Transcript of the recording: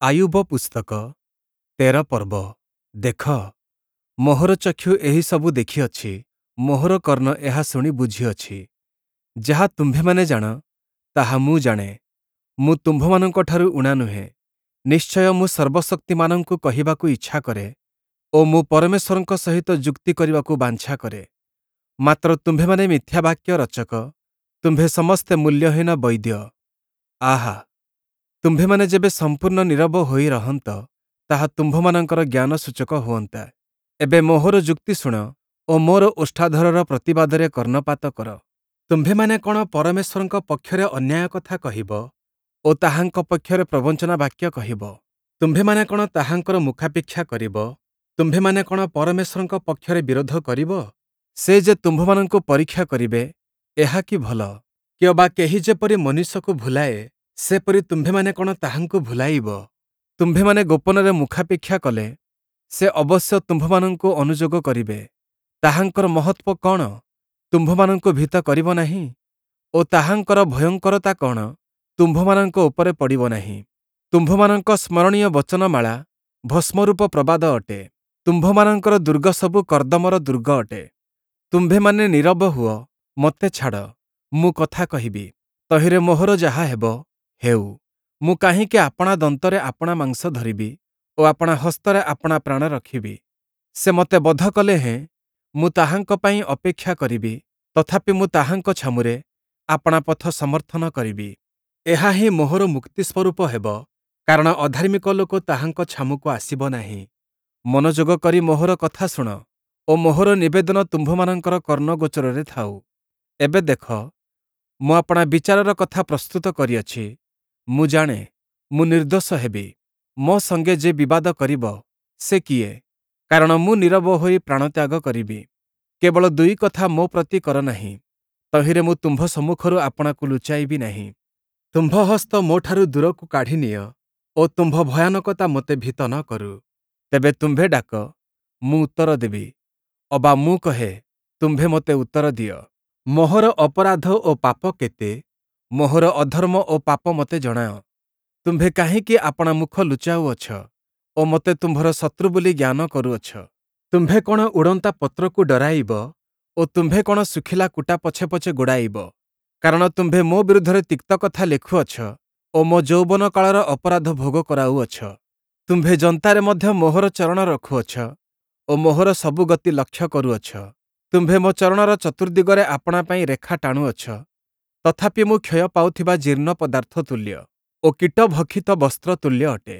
ଆୟୁବ ପୁସ୍ତକ 13 ପର୍ବ। ଦେଖ, ମୋହର ଚକ୍ଷୁ ଏହିସବୁ ଦେଖିଅଛି, ମୋହର କର୍ଣ୍ଣ ଏହା ଶୁଣି ବୁଝିଅଛି। ଯାହା ତୁମ୍ଭେମାନେ ଜାଣ, ତାହା ମୁଁ ଜାଣେ, ମୁଁ ତୁମ୍ଭମାନଙ୍କଠାରୁ ଊଣା ନୁହେଁ। ନିଶ୍ଚୟ ମୁଁ ସର୍ବଶକ୍ତିମାନଙ୍କୁ କହିବାକୁ ଇଚ୍ଛା କରେ ଓ ମୁଁ ପରମେଶ୍ୱରଙ୍କ ସହିତ ଯୁକ୍ତି କରିବାକୁ ବାଞ୍ଛା କରେ। ମାତ୍ର ତୁମ୍ଭେମାନେ ମିଥ୍ୟା ବାକ୍ୟ ରଚକ, ତୁମ୍ଭେ ସମସ୍ତେ ମୂଲ୍ୟହୀନ ବୈଦ୍ୟ। ଆହା, ତୁମ୍ଭେମାନେ ଯେବେ ସମ୍ପୂର୍ଣ୍ଣ ନୀରବ ହୋଇ ରହନ୍ତ, ତାହା ତୁମ୍ଭମାନଙ୍କର ଜ୍ଞାନସୂଚକ ହୁଅନ୍ତା। ଏବେ ମୋହର ଯୁକ୍ତି ଶୁଣ ଓ ମୋର ଓଷ୍ଠାଧରର ପ୍ରତିବାଦରେ କର୍ଣ୍ଣପାତ କର। ତୁମ୍ଭେମାନେ କ'ଣ ପରମେଶ୍ୱରଙ୍କ ପକ୍ଷରେ ଅନ୍ୟାୟ କଥା କହିବ ଓ ତାହାଙ୍କ ପକ୍ଷରେ ପ୍ରବଞ୍ଚନା ବାକ୍ୟ କହିବ? ତୁମ୍ଭେମାନେ କ'ଣ ତାହାଙ୍କର ମୁଖାପେକ୍ଷା କରିବ? ତୁମ୍ଭେମାନେ କ'ଣ ପରମେଶ୍ୱରଙ୍କ ପକ୍ଷରେ ବିରୋଧ କରିବ? ସେ ଯେ ତୁମ୍ଭମାନଙ୍କୁ ପରୀକ୍ଷା କରିବେ, ଏହା କି ଭଲ? କିଅବା କେହି ଯେପରି ମନୁଷ୍ୟକୁ ଭୁଲାଏ, ସେପରି ତୁମ୍ଭେମାନେ କ'ଣ ତାହାଙ୍କୁ ଭୁଲାଇବ? ତୁମ୍ଭେମାନେ ଗୋପନରେ ମୁଖାପେକ୍ଷା କଲେ, ସେ ଅବଶ୍ୟ ତୁମ୍ଭମାନଙ୍କୁ ଅନୁଯୋଗ କରିବେ। ତାହାଙ୍କର ମହତ୍ତ୍ୱ କ'ଣ ତୁମ୍ଭମାନଙ୍କୁ ଭୀତ କରିବ ନାହିଁ ଓ ତାହାଙ୍କର ଭୟଙ୍କରତା କ'ଣ ତୁମ୍ଭମାନଙ୍କ ଉପରେ ପଡ଼ିବ ନାହିଁ? ତୁମ୍ଭମାନଙ୍କ ସ୍ମରଣୀୟ ବଚନମାଳା ଭସ୍ମରୂପ ପ୍ରବାଦ ଅଟେ, ତୁମ୍ଭମାନଙ୍କର ଦୁର୍ଗସବୁ କର୍ଦ୍ଦମର ଦୁର୍ଗ ଅଟେ। ତୁମ୍ଭେମାନେ ନୀରବ ହୁଅ, ମୋତେ ଛାଡ଼, ମୁଁ କଥା କହିବି, ତହିଁରେ ମୋହର ଯାହା ହେବ, ହେଉ। ମୁଁ କାହିଁକି ଆପଣା ଦନ୍ତରେ ଆପଣା ମାଂସ ଧରିବି ଓ ଆପଣା ହସ୍ତରେ ଆପଣା ପ୍ରାଣ ରଖିବି? ସେ ମୋତେ ବଧ କଲେ ହେଁ ମୁଁ ତାହାଙ୍କ ପାଇଁ ଅପେକ୍ଷା କରିବି, ତଥାପି ମୁଁ ତାହାଙ୍କ ଛାମୁରେ ଆପଣା ପଥ ସମର୍ଥନ କରିବି। ଏହା ହିଁ ମୋହର ମୁକ୍ତି ସ୍ୱରୂପ ହେବ, କାରଣ ଅଧାର୍ମିକ ଲୋକ ତାହାଙ୍କ ଛାମୁକୁ ଆସିବ ନାହିଁ। ମନୋଯୋଗ କରି ମୋହର କଥା ଶୁଣ ଓ ମୋହର ନିବେଦନ ତୁମ୍ଭମାନଙ୍କର କର୍ଣ୍ଣଗୋଚରରେ ଥାଉ। ଏବେ ଦେଖ, ମୁଁ ଆପଣା ବିଚାରର କଥା ପ୍ରସ୍ତୁତ କରିଅଛି, ମୁଁ ଜାଣେ, ମୁଁ ନିର୍ଦ୍ଦୋଷ ହେବି। ମୋ ସଙ୍ଗେ ଯେ ବିବାଦ କରିବ, ସେ କିଏ? କାରଣ ମୁଁ ନୀରବ ହୋଇ ପ୍ରାଣତ୍ୟାଗ କରିବି। କେବଳ ଦୁଇ କଥା ମୋ ପ୍ରତି କର ନାହିଁ, ତହିଁରେ ମୁଁ ତୁମ୍ଭ ସମ୍ମୁଖରୁ ଆପଣାକୁ ଲୁଚାଇବି ନାହିଁ। ତୁମ୍ଭ ହସ୍ତ ମୋଠାରୁ ଦୂରକୁ କାଢ଼ି ନିଅ ଓ ତୁମ୍ଭ ଭୟାନକତା ମୋତେ ଭୀତ ନ କରୁ। ତେବେ ତୁମ୍ଭେ ଡାକ, ମୁଁ ଉତ୍ତର ଦେବି, ଅବା ମୁଁ କହେ, ତୁମ୍ଭେ ମୋତେ ଉତ୍ତର ଦିଅ। ମୋହର ଅପରାଧ ଓ ପାପ କେତେ? ମୋହର ଅଧର୍ମ ଓ ପାପ ମୋତେ ଜଣାଅ। ତୁମ୍ଭେ କାହିଁକି ଆପଣା ମୁଖ ଲୁଚାଉଅଛ ଓ ମୋତେ ତୁମ୍ଭର ଶତ୍ରୁ ବୋଲି ଜ୍ଞାନ କରୁଅଛ? ତୁମ୍ଭେ କ'ଣ ଉଡ଼ନ୍ତା ପତ୍ରକୁ ଡରାଇବ ଓ ତୁମ୍ଭେ କ'ଣ ଶୁଖିଲା କୁଟା ପଛେ ପଛେ ଗୋଡ଼ାଇବ? କାରଣ ତୁମ୍ଭେ ମୋ ବିରୁଦ୍ଧରେ ତିକ୍ତ କଥା ଲେଖୁଅଛ ଓ ମୋ ଯୌବନ କାଳର ଅପରାଧ ଭୋଗ କରାଉଅଛ। ତୁମ୍ଭେ ଯନ୍ତାରେ ମଧ୍ୟ ମୋହର ଚରଣ ରଖୁଅଛ ଓ ମୋହର ସବୁ ଗତି ଲକ୍ଷ୍ୟ କରୁଅଛ। ତୁମ୍ଭେ ମୋ ଚରଣର ଚତୁର୍ଦ୍ଦିଗରେ ଆପଣା ପାଇଁ ରେଖା ଟାଣୁଅଛ, ତଥାପି ମୁଁ କ୍ଷୟ ପାଉଥିବା ଜୀର୍ଣ୍ଣ ପଦାର୍ଥ ତୁଲ୍ୟ ଓ କୀଟଭକ୍ଷିତ ବସ୍ତ୍ର ତୁଲ୍ୟ ଅଟେ।